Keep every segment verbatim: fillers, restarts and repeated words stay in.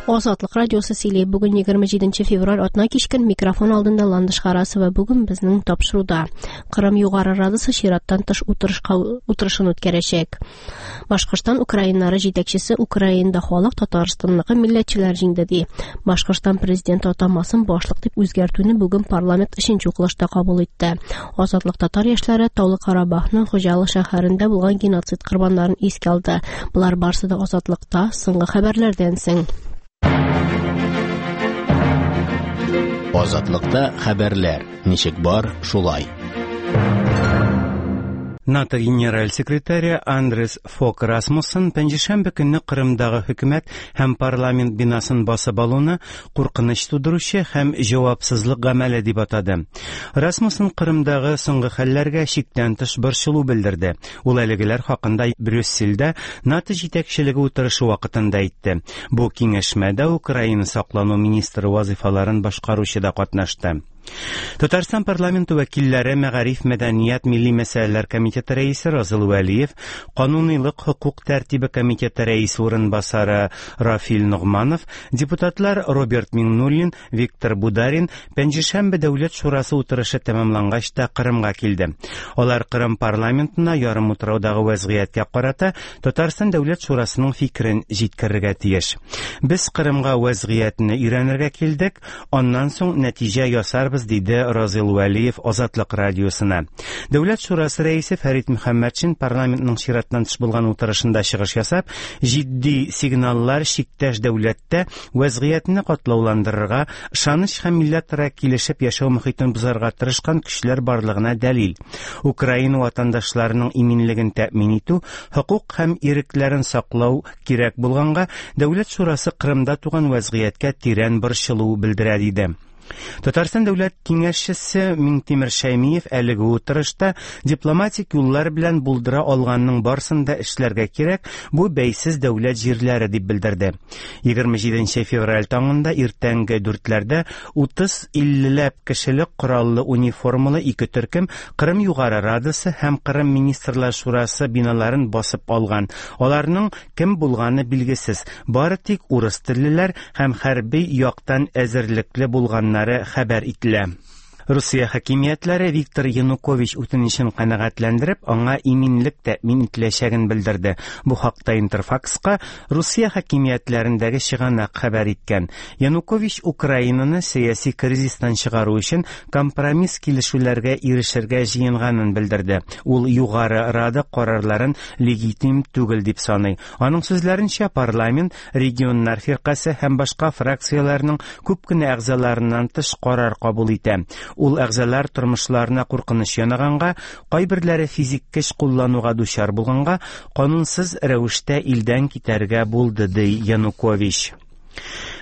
Азатлык радиосы сөйли. Бүген егерме җиденче февраль атна кичкен микрофон алдында Ландыш Харасова. Бүген безнең тапшыруда Кырым Югары Радасы чираттан тыш утырышка, утырышын үткәрәчәк. Башкортстан украиннары җитәкчесе Украинада халык Татарстанныкы милләтчеләр җиңде ди. Башкортстан президенты атамасын башлык дип үзгәртүне бүген парламент өченче укылышта кабул итте. Азатлык татар яшьләре Таулы Карабахның Хуҗалы шәһәрендә булган геноцид корбаннарын искә алды. Болар барысы да Азатлыкта соңгы хәбәрләрдән соң. Азатлыкта хәбәрләр ничек бар, шулай. НАТО генераль секретаре Андрес Фок Расмуссен пәнҗешәмбе көнне Кырымдагы хөкүмәт һәм парламент бинасын басып алуны куркыныч тудыручы һәм җавапсызлык гамәле дип атады. Расмуссен Кырымдагы соңгы хәлләргә чиктән тыш борчылу белдерде. Ул әлегеләр хакында Брюссельдә НАТО җитәкчелеге утырышы вакытында әйтте. Бу киңәшмәдә Украина саклану министры вазифаларын башкаручы да катнашты. Татарстан парламенты вәкилләре Мәгариф, мәдәният, милли мәсьәләләр комитеты рәисе Разил Вәлиев, Канунилык хокук тәртибе комитеты рәисе урынбасары Рафил Ногманов, депутатлар Роберт Миңнуллин, Виктор Бударин Пәнҗешәмбе Дәүләт шурасы утырышы тәмамлангач та Кырымга килде. Алар Кырым парламентына ярымутраудагы вәзгыятькә карата Татарстан Дәүләт шурасының фикерен җиткерергә тиеш. Без Кырымга вәзгыятьне өйрәнергә килдек, аннан соң нәтиҗә ясарбыз, диде Разил Вәлиев Азатлык радиосына. Дәүләт шурасы рәисе Фәрит Мөхәммәтшин парламентның чираттан тыш булган утырышында чыгыш ясап, җитди сигналлар чиктәш дәүләттә вәзгыятьне катлауландырырга, ышаныч һәм милләтара килешеп яшәү мөхитен бозарга тырышкан көчләр барлыгына дәлил. Украина ватандашларының иминлеген тәэмин итү, хокук һәм ирекләрен саклау кирәк булганга, Дәүләт шурасы Кырымда туган вәзгыятькә тирән борчылу белдерә, диде. Татарстан Дәүләт Киңәшчесе Миңтимер Шәймиев әлеге утырышта дипломатик юллар белән булдыра алганның барысын да эшләргә кирәк, бу бәйсез дәүләт җирләре дип белдерде. Егерме җиденче февраль таңында иртәнге дүртләрдә утыз иллеләп кешелек кораллы униформалы ике төркем Кырым Югары Радасы һәм Кырым Министрлар Шурасы биналарын басып алган. Аларның кем булганы билгесез, бары тик урыс теллеләр һәм хәрби яктан әзерлекле булганнар хәбәр ителә. Русия хакимиятләре Виктор Янукович үтенечен канәгатьләндереп, аңа иминлек тәэмин ителәчәген белдерде. Бу хакта Интерфакска Русия хакимиятләрендәге чыганак хәбәр иткән. Янукович Украинаны сәяси кризистан чыгару өчен компромисс килешүләргә ирешергә җыенганын белдерде. Ул Югары Рада карарларын легитим түгел дип саный. Аның сүзләренчә, парламент, регионнар фиркасе һәм башка фракцияләрнең күп кенә әгъзаларыннан тыш карар кабул итә. Ул әгъзалар тормышларына куркыныч янаганга, кайберләре физик көч куллануга дучар булганга, канунсыз рәвештә илдән китәргә булды, ди Янукович.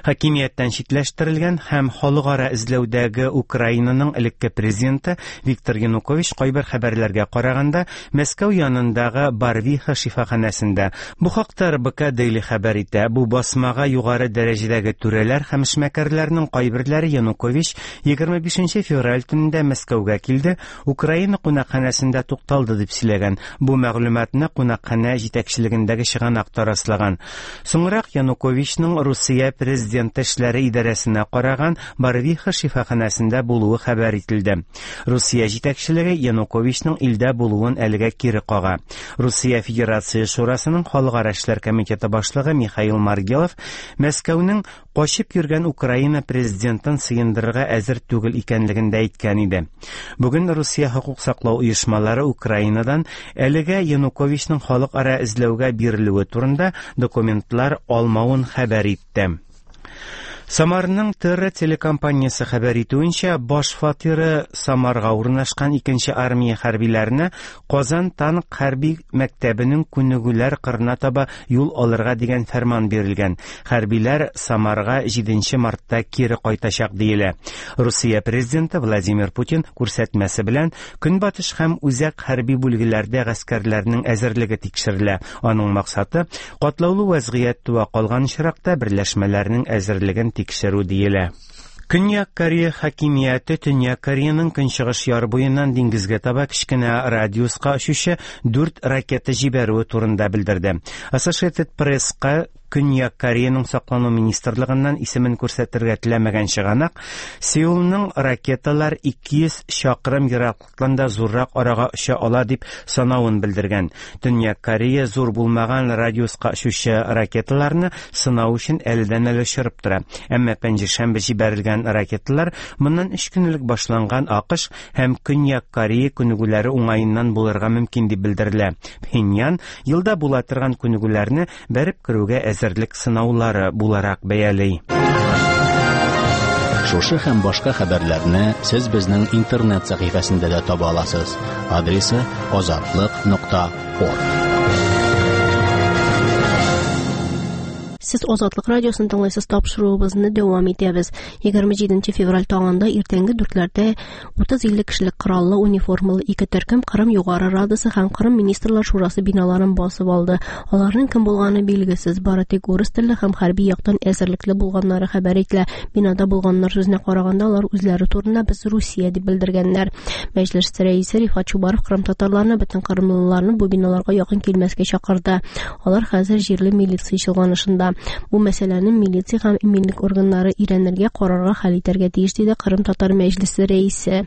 Хакимияттән читләштерелгән һәм халыкара эзләүдәге Украинаның элекке президенты Виктор Янукович кайбер хәбәрләргә караганда Мәскәү янындагы Барвиха шифаханәсендә. Бу хакта Р Б К Daily хәбәр итә. Бу басмага югары дәрәҗәдәге түрәләр һәм эшмәкәрләрнең кайберләре Янукович егерме бишенче февраль төнендә Мәскәүгә килде, Украина кунакханәсендә тукталды дип сөйләгән. Бу мәгълүматны кунакханә җитәкчелегендәге чыганак та раслаган. Соңрак Януковичның Русия президенты эшләре идарәсенә караган Барвиха шифаханәсендә булуы хәбәр ителде. Русия җитәкчелеге Януковичның илдә булуын әлегә кире кага. Русия Федерация Шурасының Халыкара эшләр комитеты башлыгы Михаил Маргелов Мәскәүнең качып йөргән Украина президентын сыендырырга әзер түгел икәнлеген дә әйткән иде. Бүген Русия хокук саклау оешмалары Украинадан әлегә Януковичның халыкара эзләүгә бирелүе турында документлар алмавын хәбәр итте. Самарның Терра телекомпаниясе хәбәр итүенчә, баш фатиры Самарга урнашкан икенче армия хәрбиләренә Казан танк хәрби мәктәбенең күнегүләр кырына таба юл алырга дигән фәрман бирелгән. Хәрбиләр Самарга җиденче мартта кире кайтачак диелә. Русия президенты Владимир Путин күрсәтмәсе белән Көнбатыш һәм үзәк хәрби бүлгеләрдә гаскәрләрнең әзерлеге тикшерелә. Аның максаты катлаулы вәзгыять туа калган очракта берләшмәләрнең әзерлеген тикшерү диелә. Көньяк Корея хакимияте Төньяк Кореяның көнчыгыш яр буеннан диңгезгә таба кечкенә радиуска очучы дүрт ракета җибәрүе турында белдерде. Associated Press-ка Көньяк Кореяның саклану министрлыгыннан исемен күрсәтергә теләмәгән чыганак Сеулның ракеталар ике йөз чакрым ераклыктан да зуррак арага оча ала дип санавын белдергән. Төньяк Корея зур булмаган радиуска очучы ракеталарны сынау өчен әледән-әле очырып тора. Әмма пәнҗешәмбе җибәрелгән ракеталар моннан өч көн элек башланган АКШ һәм Көньяк Корея күнегүләре уңаеннан булырга мөмкин дип белдерелә. Пхеньян елда була торган күнегүләрне бәреп керүгә әзерлек сынаулары буларак бәяли. Шушы һәм башка хәбәрләрне сез безнең интернет сәхифәсендә дә таба аласыз. Адресы азатлык нокта орг. Сез Азатлык радиосын тыңлыйсыз, тапшыруыбызны дәвам итәбез. егерме җиденче февраль таңында иртәнге дүртләрдә утыз илле кешелек кораллы униформалы ике төркем Кырым Югары Радасы һәм Кырым Министрлар Шурасы биналарын басып алды. Аларның кем булганы билгесез, бары тик урыс телле һәм хәрби яктан әзерлекле булганнары хәбәр ителә. Бинада булганнар сүзенә караганда, алар үзләре турында без Русия дип белдергәннәр. Мәҗлес рәисе Рифат Чубаров кырым татарларны, бөтен кырымлыларны бу биналарга якын килмәскә чакырды. Алар хәзер җирле милиция чолганышында. Бу мәсьәләне милиция һәм иминлек органнары өйрәнергә, карарга, хәл итәргә тиеш, диде Кырым татар мәҗлесе рәисе.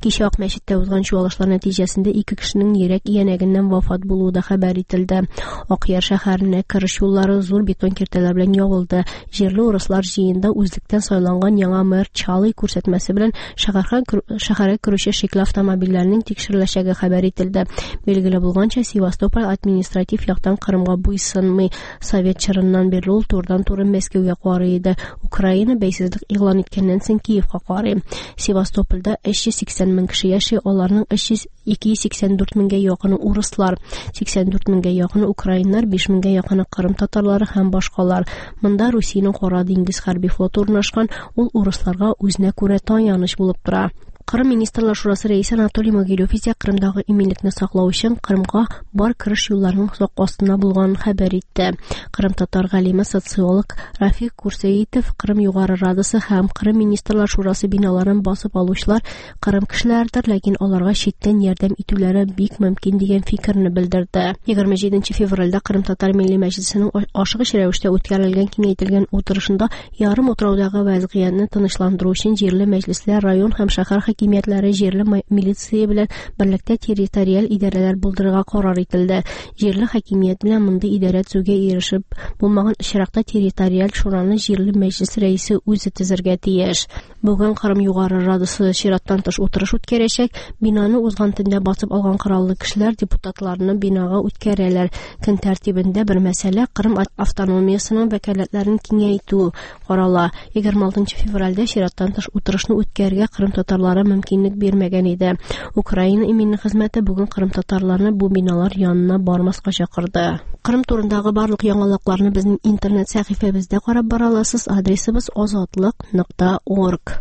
Кичә Ак мәчеттә узган чуалышлар нәтиҗәсендә ике кешенең йөрәк иянәгеннән вафат булуы да хәбәр ителде. Акъяр шәһәренә кереш юллары зур бетон киртәләр белән ябылды. Җирле урыслар җыенда үзлектән сайланган яңа мэр Чалый күрсәтмәсе белән шәһәргә керүче шикле автомобильләрнең тикшереләчәге хәбәр ителде. Билгеле булганча, Севастополь административ яктан Кырымга буйсынмый. Совет чорыннан бирле ул турыдан-туры Мәскәүгә карый иде. Украина бәйсезлек игълан иткәннән соң Киевка карый. Севастопольдә өч йөз сиксән мең кеше яши, аларның өч йөз ике йөз сиксән дүрт меңгә якыны урыслар, сиксән дүрт меңгә якыны украиннар, биш меңгә якыны кырым татарлары һәм башкалар. Монда Русиянең Кара диңгез хәрби флоты урнашкан, ул урысларга үзенә күрә таяныч булып тора. Кырым Министрлар Шурасы рәисе Анатолий Могилев исә Кырымдагы иминлекне саклау өчен Кырымга бар кереш юлларының сак астында булганын хәбәр итте. Кырым татар галиме, социолог Рафик Курсеитов Кырым Югары Радасы һәм Кырым Министрлар Шурасы биналарын басып алучылар Кырым кешеләрдер, ләкин аларга читтән ярдәм итүләре бик мөмкин дигән фикерне белдерде. егерме җиденче февральдә Кырым татар милли мәҗлесенең ашыгыч рәвештә үткәрелгән киңәйтелгән утырышында ярым утраудагы вәзгыятьне тынычландыру өчен җирле мәҗлесләр, район һәм шәһәр хакимиятләре җирле милиция белән берлектә территориаль идарәләр булдырырга карар ителде. Җирле хакимият белән мондый идарә төзүгә ирешеп булмаган очракта территориаль шураны җирле мәҗлес рәисе үзе төзергә тиеш. Бүген Кырым Югары Радасы чираттан тыш утырыш үткәрәчәк. Бинаны узган төндә басып алган кораллы кешеләр депутатларны бинага үткәрәләр. Көн тәртибендә бер мәсьәлә Кырым автономиясының вәкаләтләрен киңәйтү карала. егерме алтынчы февральдә чираттан тыш утырышны үткәрергә Кырым татарлары мөмкинлек бирмәгән иде. Украина иминлек хезмәте бүген Кырым татарларны бу биналар янына бармаска чакырды. Кырым турындагы барлык яңалыкларны безнең интернет сәхифәбездә карап бара аласыз. Адресыбыз азатлык нокта орг.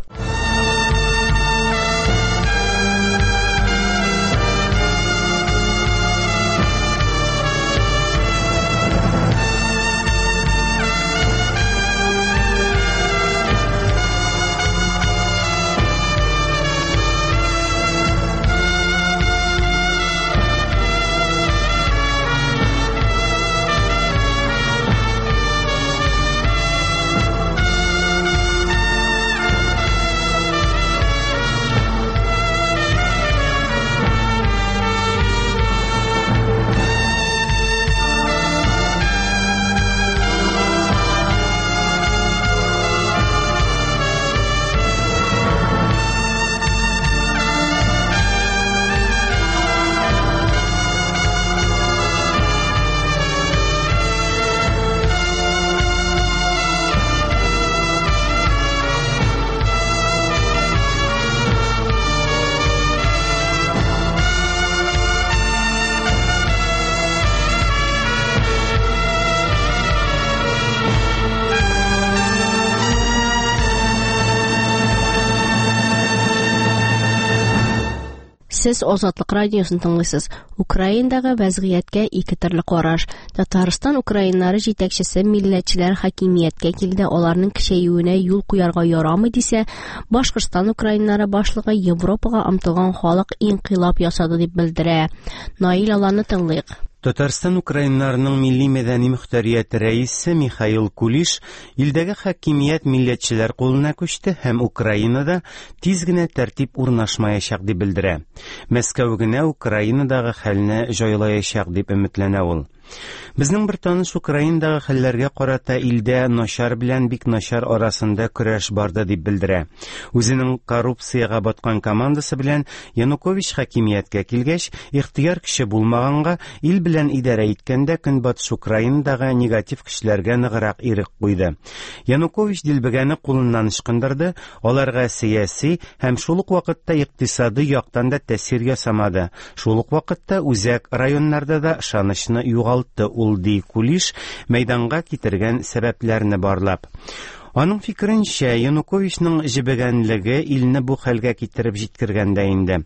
Сез Азатлык радиосын тыңлыйсыз. Украинадагы вәзгыятькә ике төрле караш. Татарстан украиннары җитәкчесе милләтчеләр хакимияткә килде, аларның көчәюенә юл куярга ярамый дисә, Башкортстан украиннары башлыгы Европага омтылган халык инкыйлаб ясады дип белдерә. Наил Аланны тыңлыйк. Татарстан украиннарының милли мәдәни мөхтәрияте рәисе Михаил Кулиш илдәге хакимият милләтчеләр кулына күчте һәм Украинада тиз генә тәртип урнашмаячак дип белдерә. Мәскәү генә Украинадагы хәлне җайлаячак дип өметләнә ул. Безнең бер таныш Украинадагы хәлләргә карата илдә начар белән бик начар арасында көрәш барды дип белдерә. Үзенең коррупциягә баткан командасы белән Янукович хакимияткә килгәч, ихтыяр көче булмаганга ил белән идарә иткәндә Көнбатыш Украинадагы негатив көчләргә ныграк ирек куйды. Янукович дилбегәне кулыннан ычкындырды, аларга сәяси һәм шул ук вакытта икътисади яктан да тәэсир ясамады. Шул ук вакытта үзәк районнарда да ышанычны югалтты ул, ди Кулиш, мәйданга китергән сәбәпләрне барлап. Аның фикеренчә, Януковичның җебегәнлеге илне бу хәлгә китереп җиткергән дә инде.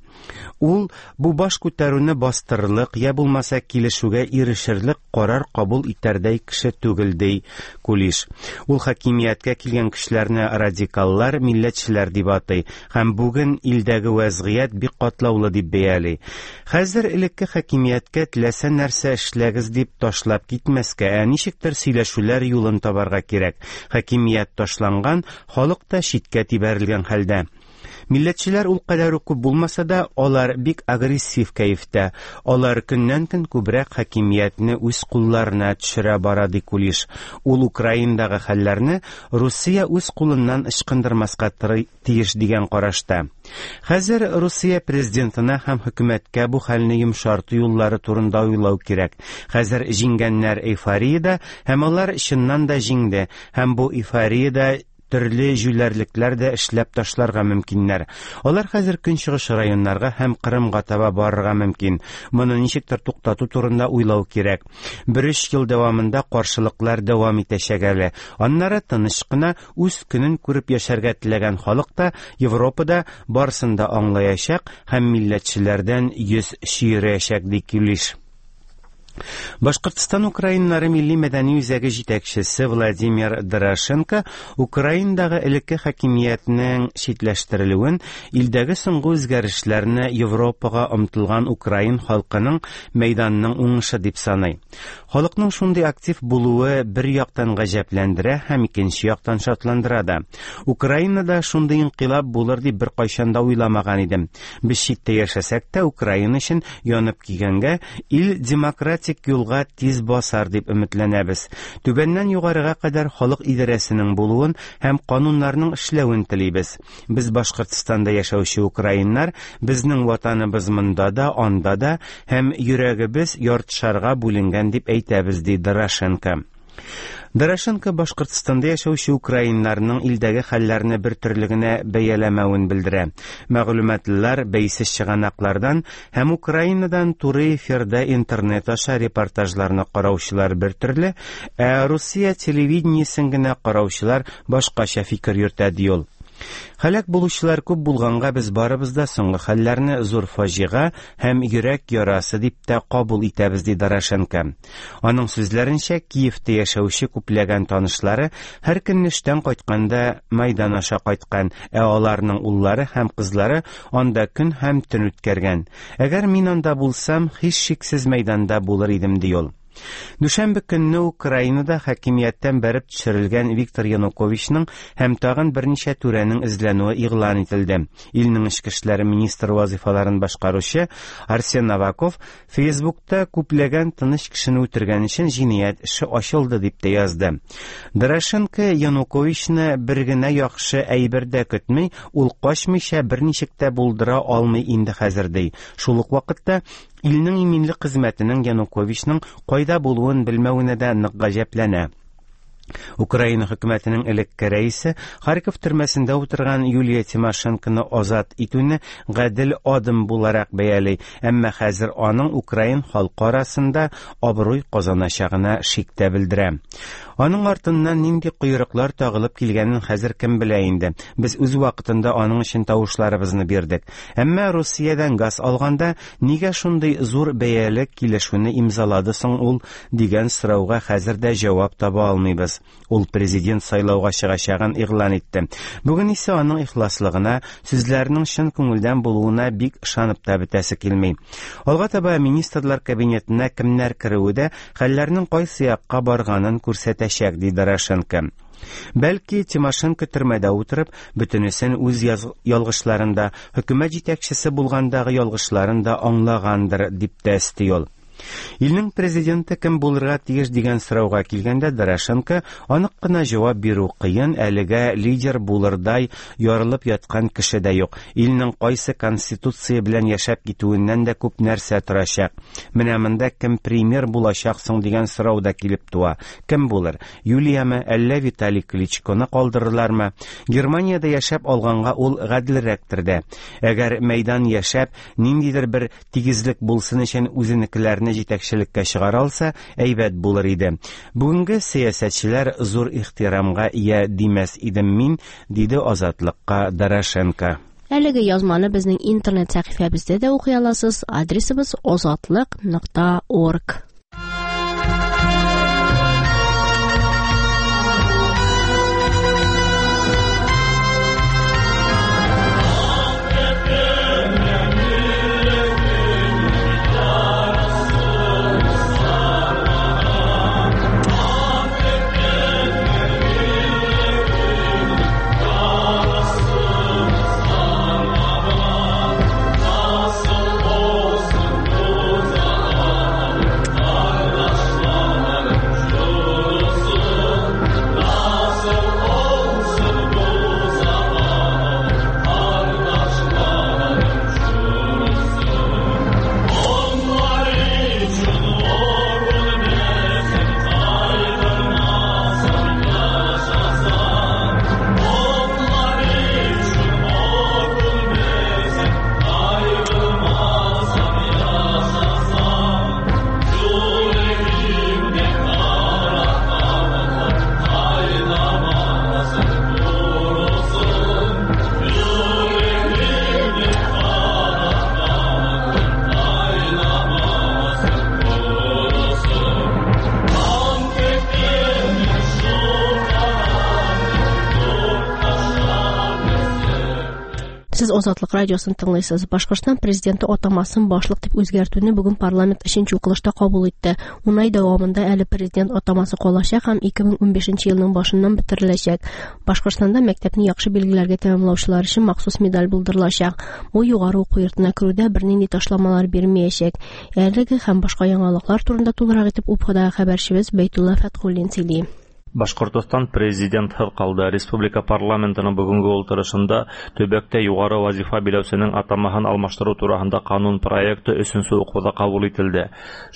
Ул бу баш күтәрүне бастырырлык, я булмаса килешүгә ирешерлек карар кабул итәрдәй кеше түгел, ди Кулиш. Ул хакимияткә килгән кешеләрне радикаллар, милләтчеләр дип атый һәм бүген илдәге вәзгыять бик катлаулы дип бәяли. Хәзер элекке хакимияткә теләсә нәрсә эшләгез дип ташлап китмәскә, ә ничектер сөйләшүләр юлын табарга кирәк. Хакимият ташланган, халык та читкә тибәрелгән хәлдә. Милләтчеләр ул кадәр үк күп булмаса да, алар бик агрессив кәефтә. Алар көннән-көн күбрәк хакимиятне үз кулларына төшерә бара, ди Кулиш. Ул Украинадагы хәлләрне Русия үз кулыннан ычкындырмаска тиеш дигән карашта. Хәзер Русия президентына һәм хөкүмәткә бу хәлне йомшарту юллары турында уйлау кирәк. Хәзер җиңгәннәр эйфориядә һәм алар чыннан да җиңде, һәм бу эйфориядә төрле җүләрлекләр дә эшләп ташларга мөмкиннәр. Алар хәзер көнчыгыш районнарга һәм Кырымга таба барырга мөмкин. Моны ничектер туктату турында уйлау кирәк. Бер өч ел дәвамында каршылыклар дәвам итәчәк әле. Аннары тыныч кына үз көнен күреп яшәргә теләгән халык та Европада барысын да аңлаячак һәм милләтчеләрдән йөз чөерәчәк, ди Кулиш. Башкортстан украиннары милли мәдәни үзәге җитәкчесе Владимир Дорошенко Украинадагы элекке хакимиятнең читләштерелүен, илдәге соңгы үзгәрешләрне Европага омтылган украин халкының мәйданының уңышы дип саный. Халыкның шундый актив булуы бер яктан гаҗәпләндерә һәм икенче яктан шатландыра да. Украинада шундый инкыйлаб булыр дип беркайчан да уйламаган идем. Без читтә яшәсәк тә Украина өчен янып килгәнгә ил демократик юлга тиз басар дип өметләнәбез. Түбәннән югарыга кадәр халык идарәсенең булуын һәм кануннарның эшләвен телибез. Без Башкортстанда яшәүче украиннар, безнең ватаныбыз монда да, анда да һәм йөрәгебез яртышарга бүленгән дип әйтәбез, ди Дорошенко. Дорошенко Башкортстанда яшәүче украиннарның илдәге хәлләрне бер төрле генә бәяләмәвен белдерә. Мәгълүматлар бәйсез чыганаклардан һәм Украинадан туры эфирда интернет аша репортажларны караучылар бер төрле, ә Русия телевидениесен генә караучылар башкача фикер йөртә, ди ул. Һәлак булучылар күп булганга без барыбыз да соңгы хәлләрне зур фаҗига һәм йөрәк ярасы дип тә кабул итәбез, ди Дорошенко. Аның сүзләренчә, Киевтә яшәүче күпләгән танышлары һәр көнне эштән кайтканда Майдан аша кайткан, ә аларның уллары һәм кызлары анда көн һәм төн үткәргән. Әгәр мин анда булсам, һичшиксез мәйданда булыр идем, ди ул. Дүшәмбе көнне Украинада хакимияттән бәреп төшерелгән Виктор Януковичның һәм тагын берничә түрәнең эзләнүе игълан ителде. Илнең эчке эшләр министры вазифаларын башкаручы Арсен Аваков Фейсбукта күпләгән тыныч кешене үтергән өчен җинаять эше ачылды дип тә язды. Дорошенко Януковичны бер генә яхшы әйбер дә көтми, ул качмыйча берничек тә булдыра алмый инде хәзер, ди. Шул ук вакытта илнең иминлек хезмәтенең Януковичның кайда булуын белмәвенә дә нык гаҗәпләнә. Украина хөкүмәтенең элекке рәисе Харьков төрмәсендә утырган Юлия Тимошенконы азат итүне гадел адым буларак бәяли, әмма хәзер аның украин халкы арасында абруй казаначагына шик тә белдерә. Аның артыннан нинди койрыклар тагылып килгәнен хәзер кем белә инде. Без үз вакытында аның өчен тавышларыбызны бирдек. Әмма Русиядән газ алганда нигә шундый зур бәяле килешүне имзалады соң ул дигән сорауга хәзер дә җавап таба алмыйбыз. Ул президент сайлауга чыгачагын игълан итте. Бүген исә аның ихласлыгына, сүзләренең чын күңелдән булуына бик ышанып та бетәсе килми. Алга таба министрлар кабинетына кемнәр керүе дә хәлләрнең кайсы якка барганын күрсәтәчәк, ди Дорошенко. Бәлки Тимошенко төрмәдә утырып, бөтенесен үз ялгышларында, хөкүмәт җитәкчесе булгандагы ялгышларын да аңлагандыр, дип тә өсти ул. Илнең президенты кем булырга тиеш дигән сорауга килгәндә Дорошенко анык кына җавап бирү кыен, әлегә лидер булырдай ярылып яткан кеше дә юк. Илнең кайсы конституция белән яшәп китүеннән дә күп нәрсә торачак. Менә монда кем премьер булачак соң дигән сорау да килеп туа. Кем булыр? Юлияме, әллә Виталий Кличконы калдырырлармы? Германиядә яшәп алганга ул гаделрәктер дә. Әгәр мәйдан яшәп, ниндидер бер тигезлек булсын өчен үзенекеләрне җитәкчелеккә чыгара алса, әйбәт булыр иде. Бүгенге сәясәтчеләр зур ихтирамга ия димәс идем мин, диде Азатлыкка Дорошенко. Әлеге язманы безнең интернет сәхифәбездә дә укый аласыз. Адресыбыз озатлык нокта орг. Сез Азатлык радиосын тыңлыйсыз. Башкортстан президенты атамасын башлык дип үзгәртүне бүген парламент өченче укылышта кабул итте. Ун ай дәвамында әле президент атамасы калачак һәм ике мең унбишенче елның башыннан бетереләчәк. Башкортстанда мәктәпне яхшы билгеләргә тәмамлаучылар өчен махсус медаль булдырылачак. Бу югары уку йортына керүдә бернинди ташламалар бирмәячәк. Әлеге һәм башка яңалыклар турында тулырак итеп Уфадагы хәбәрчебез Бәйтулла Фәтхуллин сөйли. Башкортостан президенты қалды. Республика парламентының бүгінгі ултырышында төбәктә югары вазифа биләүсенең атамаһын алмаштыру тураһында канун проекты өченче уҡыуҙа ҡабул ителде.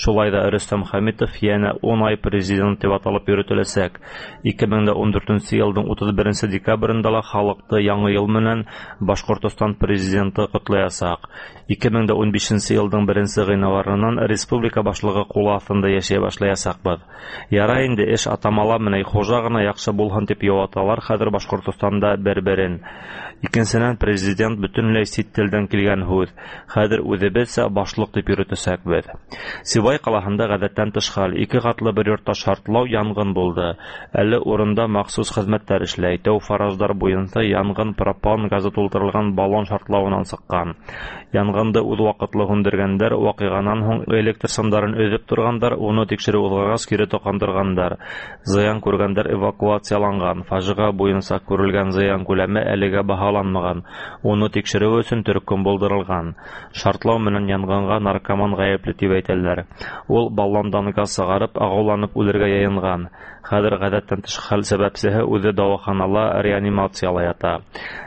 Шулай да Рөстәм Хәмитов йәнә ун ай президент тип аталып йөрөтөләсәк. ике мең ун дүртенсе йылдың утыҙ беренсе декабрендә ла халыҡты яңы йыл менән Башкортостан президенты ҡотлаясаҡ. ике мең ун бишенсе йылдың беренсе ғинуарынан республика башлығы ҡулы аҫтында йәшәй башлаясаҡбыҙ. Ярай инде эш атамала менән хужа ғына яҡшы булһын тип яуаталар хәҙер Башҡортостанда бер-берен. Икенсенән, президент бөтөнләй сит телдән килгән һүҙ. Хәҙер үҙебеҙсә башлыҡ тип йөрөтәсәкбеҙ. Сибай ҡалаһында ғәҙәттән тыш хәл, ике ҡатлы бер йортта шартлау янғын булды. Әле урында махсус хеҙмәттәр эшләй. Тәү фараздар буйынса янғын пропан газы тултырылған баллон шартлауынан сыҡҡан. Янғынды үҙ ваҡытлы һүндергәндәр, ваҡиғанан һуң электр сымдарын өҙөп торғандар, уны тикшереү уҙғас кире тоҡандырғандар. Зыян күргәндәр эвакуацияланған. Фажиға буйынса күрелгән зыян күләме әлегә баһаланмаған. Уны тикшереү өсөн төркөм булдырылған. Шартлау менән янғынға наркоман ғәйепле тип әйтәләр. Ул баллондан газ сығарып, ағыуланып үлергә йыйынған. Хәҙер ғәҙәттән тыш хәл сәбәпсеһе үҙе дауаханала реанимацияла ята.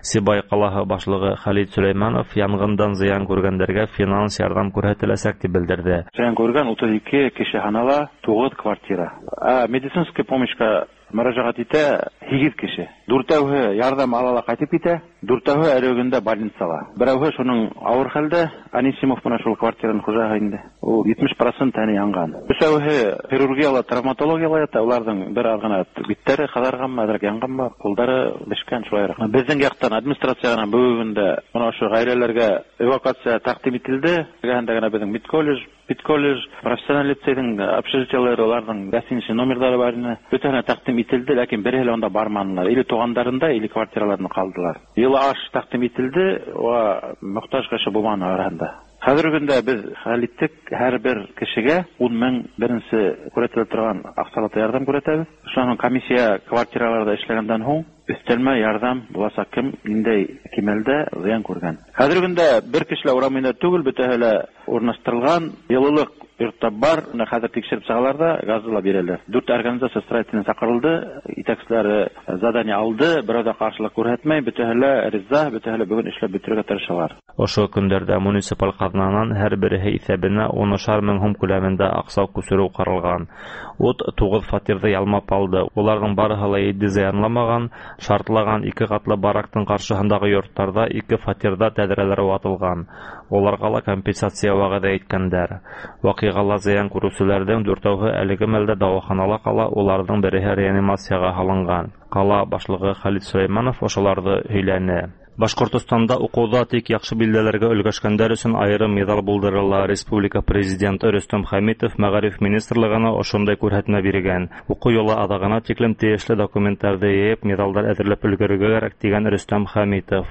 Сибай ҡалаһы башлығы Хәлит Сөләймәнов янғындан зыян күргәндәргә финанс ярҙам күрһәтеләсәк тип белдерҙе. Зыян күргән утыҙ ике кеше һанала, туғыҙ квартира. Ә медицинский помощька мөрәжәғәт итә һигеҙ кеше. Дүртәүһе ярҙам ала ла ҡайтып китә, дүртәүһе әле көндә больницала. Берәүһе шуның ауыр хәлдә, Анисимов менән шул квартираның хужаһы инде. Ул етмеш процент тәне янған. Өсәүһе хирургияла, травматологияла ята, уларҙың бер аҙ ғына биттәре ҡыҙарғанмы, әҙерәк янғанмы, ҡулдары бешкән шулайыраҡ. Беҙҙең яҡтан администрациянан бөгөн дә бына ошо ғаиләләргә эвакуация тәҡдим ителде. Эргәһендә генә беҙҙең медколледж, Педколледж, профессиональ лицейҙың общежитиелары, уларҙың гостиница номерҙары бар ине. Бөтәһенә тәҡдим ителде, ләкин береһе лә унда барманылар. Или туғандарында, или квартираларында ҡалдылар. Йылы аш тәҡдим ителде, уға мохтаж кеше булманы араһында. Хәҙерге көндә беҙ хәл иттек, һәр бер кешегә ун мең беренсе күрһәтелә торған аҡсалата ярҙам күрһәтәбеҙ. Шунан һуң комиссия квартираларҙа эшләгәндән һуң өҫтәлмә ярҙам буласаҡ, кем ниндәй кимәлдә зыян күргән. Хәҙерге көндә бер кеше лә урам буйында түгел, бөтәһе лә урынлаштырылған, йылылыҡ йортта бар, бына хәҙер тикшереп сығалар ҙа газы ла бирәләр. Дүрт организация строительный саҡырылды, етәкселәре задание алды, берәү ҙә ҡаршылыҡ күрһәтмәй, бөтәһе лә риза, бөтәһе лә бөгөн эшләп бөтөрөргә тырышалар. Ошо көндәрҙә муниципаль ҡаҙнанан һәр береһе иҫәбенә унышар мең һум күләмендә аҡса күсереү ҡаралған. Ут туғыҙ фатирҙы ялмап алды. Уларҙың барыһы ла етди зыянламаған, шартлаған ике ҡатлы барактың ҡаршыһындағы йорттарҙа ике фатирҙа тәҙрәләр ватылған. Уларға ла компенсация вәғәҙә иткәндәр. Ваҡиғала зыян күреүселәрҙең дүртәүһе әлеге мәлдә дауаханала ҡала, уларҙың береһе реанимацияға һалынған. Ҡала башлығы Хәлит Сөләймәнов ошоларҙы һөйләне. Башҡортостанда уҡыуҙа тик яҡшы билдәләргә өлгәшкәндәр өсөн айырым миҙал булдырыла. Республика президенты Рөстәм Хәмитов Мәғариф министрлығына ошондай күрһәтмә биргән. Уҡыу йылы аҙағына тиклем тейешле документтарҙы йыйып, миҙалдар әҙерләп өлгөрөргә кәрәк, тигән Рөстәм Хәмитов.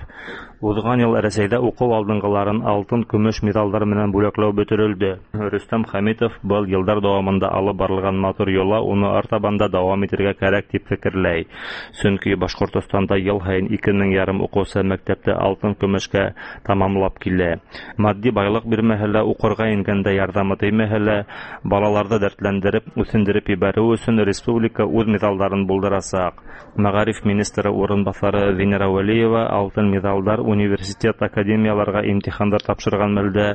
Уҙған йыл Рәсәйҙә уҡыу алдынғыларын алтын, көмөш миҙалдар менән бүләкләү бөтөрөлдө. Рөстәм Хәмитов был йылдар дауамында алып барылған матур йола уны артабан да дауам итергә кәрәк тип фекерләй. Сөнки Башҡортостанда йыл һайын ике мең ярым уҡыусы мәктәптә алтын, көмөшкә тамамлап килә. Матди байлыҡ бирмәһә лә, уҡырға ингәндә ярҙамы теймәһә лә, балаларҙы дәртләндереп, үҫендереп ебәреү өсөн республика үҙ миҙалдарын булдырасаҡ. Мәғариф министры урынбаҫары Венера Вәлиева алтын миҙалдар университет, академияларға имтихандар тапшырған мәлдә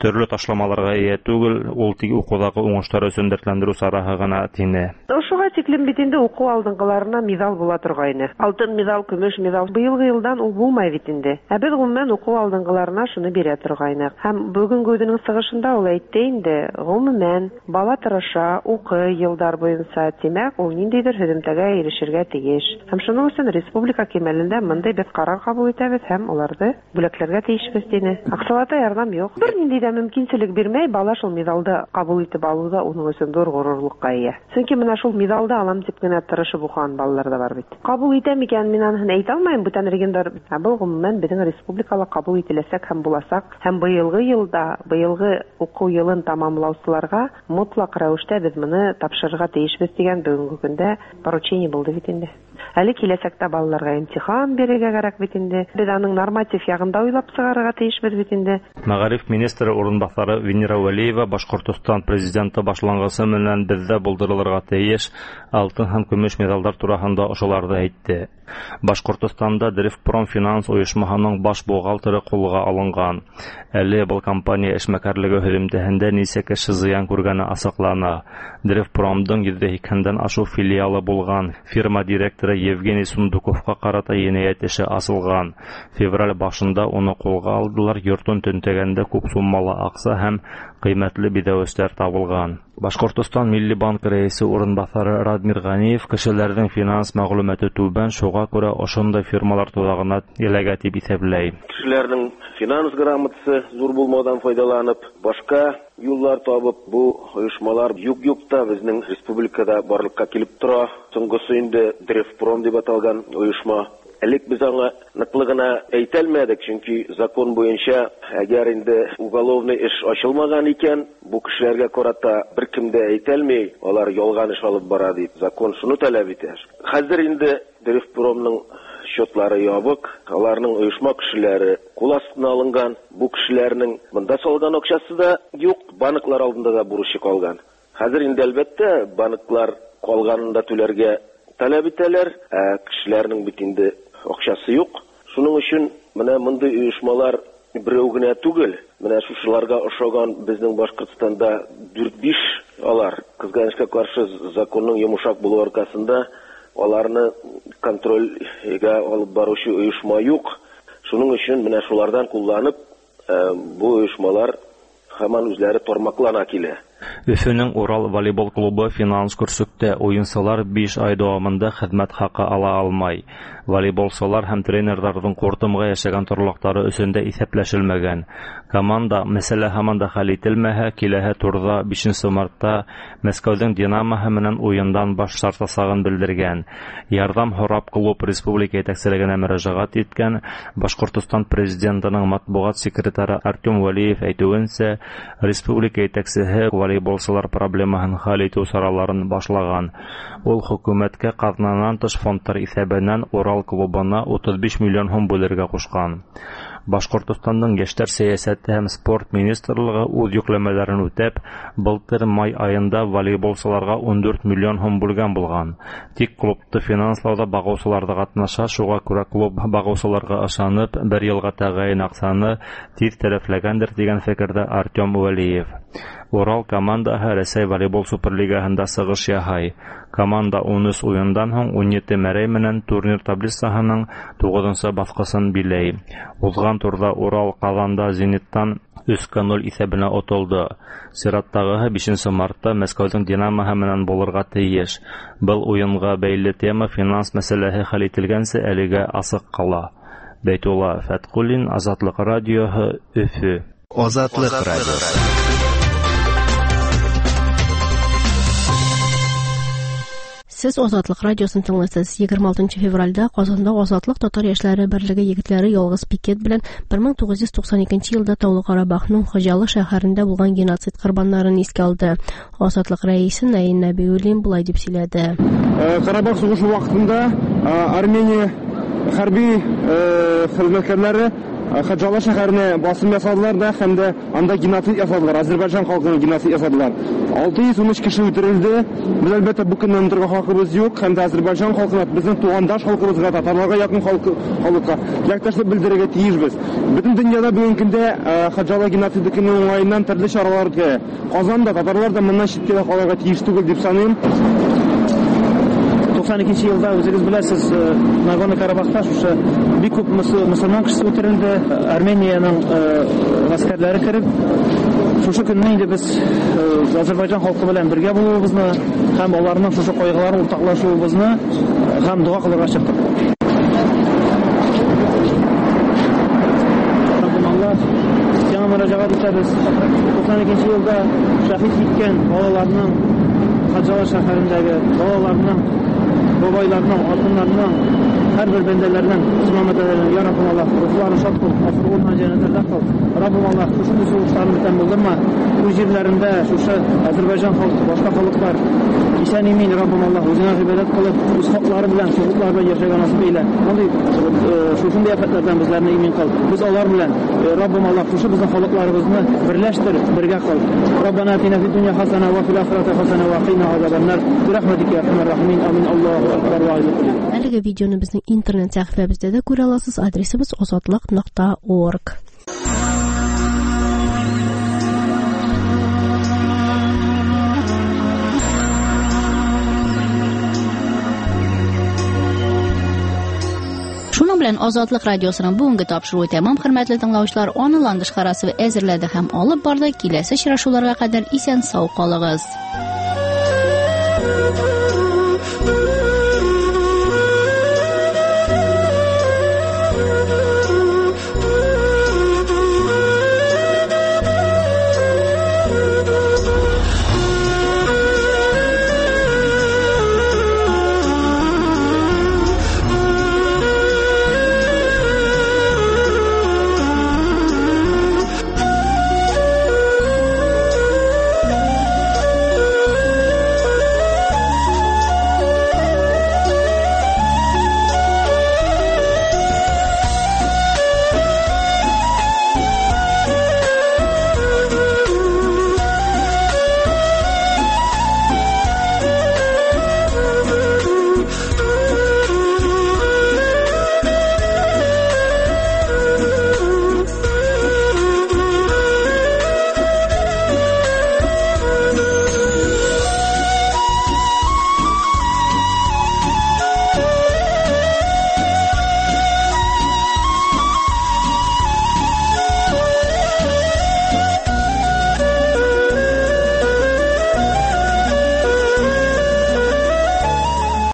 төрлө ташламаларға эйә түгел, ул тик уҡыуҙағы уңыштар өсөн дәртләндереү сараһы ғына, тине. Ошоға тиклем бит инде уҡыу алдынғыларына миҙал була торғайны. Алтын миҙал, көмөш миҙал. Быйылғы йылдан ул булмай бит инде. Ә беҙ ғөмүмән уҡыу алдынғыларына шуны бирә торғайныҡ. Һәм бөгөнгө үҙенең сығышында ул әйтте инде, ғөмүмән бала тырыша, уҡый йылдар буйынса, тимәк, ул ниндәйҙер һөҙөмтәгә ирешергә тейеш. Һәм шуның өсөн республика кимәлендә мындай беҙ ҡарар ҡабул итәбеҙ һәм уларҙы бүләкләргә тейешбеҙ, тине. Аҡсалата ярҙам юҡ. Бер ниндәй ҙә мөмкинселек бирмәй, бала шул миҙалды ҡабул итеп алыуҙа уның өсөн ҙур ғорурлыҡҡа эйә. Сөнки бына шул миҙалды алам тип кенә тырышып уҡыған балалар ҙа бар бит. Ҡабул итәм икән, мин аныһын әйтә алмайым, бүтән региондар. Ә был ғөмүмән беҙҙең республикала ҡабул ителәсәк һәм буласаҡ. Һәм быйылғы йылда, быйылғы уҡыу йылын тамамлаусыларға мотлаҡ рәүештә беҙ быны тапшырырға тейешбеҙ тигән бөгөнгө көндә поручение булды бит инде. Әле киләсәктә балаларға имтихан бирергә кәрәк бит инде. Беҙ аның норматив яғында уйлап сығарырға тейешбеҙ бит инде. Мәғариф министры урынбаҫары Венера Вәлиева Башҡортостан президенты башланғысы менән беҙҙә булдырылырға тейеш алтын һәм көмөш миҙалдар тураһында ошоларҙы әйтте. Башҡортостанда Древпром финанс ойошмаһының баш бухгалтеры ҡулға алынған. Әле был компания эшмәкәрлеге һөҙөмтәһендә нисә кеше зыян күргәне асыҡлана. Древпромдың йөҙҙә һикһәндән ашыу филиалы булған фирма директоры Евгений Сундуковҡа ҡарата енәйәт эше асылған. Февраль башында уны ҡулға алдылар, йортон төнтәгәндә күп суммалы аҡса һәм ҡыймәтле биҙәүестәр табылған. Башҡортостан Милли банк рәйесе урынбаҫары Радмир Ғәниев кешеләрҙең финанс мәғлүмәте түбән, шуға күрә ошондай фирмалар тоҙағына эләгә тип иҫәпләй. Кешеләрҙең финанс грамотасы ҙур булмауҙан файҙаланып, башҡа юллар табып, бу ойошмалар юҡ-юҡ та беҙҙең республикала барлыҡҡа килеп тора. Һуңғыһы инде Древпром тип аталған ойошма. Элек без аңа ныҡлы ғына әйтә алмадыҡ, чөнки закон буйынса әгәр инде уголовный эш ачылмаган икән, бу кешеләргә карата бер кем дә әйтә алмый, алар ялган эш алып бара дип. Закон шуны таләп итә. Хәзер инде Древпромның счетлары ябык, аларның оешма кешеләре кул астына алынган, бу кешеләрнең монда салган акчасы да юк, банклар алдында да бурычы калган. Хәзер инде әлбәттә банклар калганын да түләргә таләп итәләр, ә кешеләрнең бит инде акчасы юк. Шуның өчен менә мондый оешмалар берәү генә түгел, менә шушыларга ошаган безнең Башкортстанда дүрт-биш алар. Кызганычка каршы законның йомшак булуы аркасында аларны контрольгә алып баручы оешма юк. Шуның өчен менә шулардан кулланып, бу оешмалар һаман үзләре тормаклана килә. Өфөнең Урал волейбол клубы финанс көрсөктә, уйынсылар биш ай дәвамында хеҙмәт хаҡы ала алмай. Волейболсылар һәм тренерҙарҙың ҡуртымға йәшәгән торлаҡтары өсөн дә иҫәпләшелмәгән. Команда мәсьәлә һаман да хәл ителмәһә, киләһе турҙа бишенсе мартта Мәскәүҙең Динамоһы менән уйындан баш тартасағын белдергән. Ярҙам һорап клуб республика етәкселегенә мөрәжәғәт иткән. Башҡортостан президентының матбуғат секретары Артем Вәлиев әйтеүенсә, республика етәксеһе волейболсылар проблемаһын хәл итеү сараларын башлаған. Ул хөкүмәткә ҡаҙнанан тыш фондтар иҫәбенән Урал клубына утыҙ биш миллион һум бүлергә ҡушҡан. Башҡортостандың йәштәр сәйәсәте һәм спорт министрлығы үҙ йөкләмәләрен үтәп, былтыр май айында волейболсыларға ун дүрт миллион һум бүлгән булған. Тик клубты финанслауҙа бағыусылар ҙа ҡатнаша, шуға күрә клуб бағыусыларға ышанып, бер йылға тәғәйен аҡсаны тиҙ тәләфләгәндер тигән фекерҙә Артем Вәлиев. Урал командаһы Рәсәй волейбол суперлигаһында сығыш яһай. Команда ун өс уйындан һуң ун ете мәрәй менән турнир таблицаһының туғыҙынсы баҫҡысын биләй. Уҙған турҙа Урал Ҡаҙанда Зениттан өскә ноль иҫәбенә отолдо. Сираттағыһы бишенсе мартта Мәскәүҙең Динамоһы менән булырға тейеш. Был уйынға бәйле тема финанс мәсьәләһе хәл ителгәнсе әлегә асыҡ ҡала. Бәйтулла Фәтҡуллин, Азатлыҡ радиоһы, Өфө. Азатлыҡ радиоһы. Сез Азатлык радиосын тыңлыйсыз. егерме алтынчы февральдә Казанда Азатлык татар яшьләре берлеге егетләре ялгыз пикет белән бер мең тугыз йөз туҡсан икенче елда Таулы Карабахның Хоҗалы шәһәрендә булган геноцид корбаннарын искә алды. Азатлык рәисе Наил Нәбиуллин болай дип сөйләде. Карабах сугышы вакытында Армения хәрби хезмәткәрләре Хоҗалы шәһәренә басым ясадылар да һәм дә анда геноцид ясадылар. Азербайҗан халкына геноцид ясадылар. алты йөз ун өч кеше үтерелде. Без әлбәттә бу көнне онытырга хакыбыз юк һәм дә Азербайҗан халкына, безнең тугандаш халкыбызга, татарларга якын халыкка теләктәшлек белдерергә тиешбез. Бөтен дөньяда бүгенге көндә Хоҗалы геноциды көне уңаеннан төрле чаралар үткәрә. Казанда татарлар да моннан читкә дә калырга тиеш түгел дип саныйм. туҡсан икенсе йылда үҙегеҙ беләсез, Нагорный Карабахта шушы бик күп мосолман кешесе үтерелде. Армениянең ғәскәрләре кереп, шушы көнне инде без Азербайҗан халкы белән бергә булуыбызны һәм аларның шушы кайгыларын уртаклашуыбызны һәм дога кылырга чыктык. Сиңа мөрәҗәгать итәбез. туҡсан икенсе йылда шәһит киткән балаларның, Хоҗалы шәһәрендәге балаларның, бабайларының, алтынларының, һәр бер бәндәләрнең, мөселман бәндәләренең, я Раббым Аллаһ, рухларын шат кыл, асылына җәннәтләрдә кыл. Раббым Аллаһ, шушы сугышларны бүтән булдырма. Үз җирләрендә шушы Азербайҗан халкы, башка халыклар исән имин, Раббым Аллаһ, үзеңә гыйбадәт кылып, үз хаклары белән, хокуклары белән яшәргә насыйп әйлә. Мондый шушындый афәтләрдән безләрне имин кыл. Без алар белән, Раббым Аллаһ, шушы безнең халыкларыбызны берләштер, бергә кыл. Раббана атина фид дөнья хасана ва фил ахирати хасана ва қина азабаннар. Бирахматика я архамар рахимин. Амин. Аллаһу акбар ва алейhi. Әлеге видеоны безнең интернет сәхифәбездә дә күрә аласыз. Адресыбыз азатлык нокта орг. Шуның белән Азатлык радиосының бүгенге тапшыруы тәмам, хөрмәтле тыңлаучылар. Аны Ландыш Харасова әзерләде һәм алып барды. Киләсе очрашуларга кадәр исән сау калыгыз.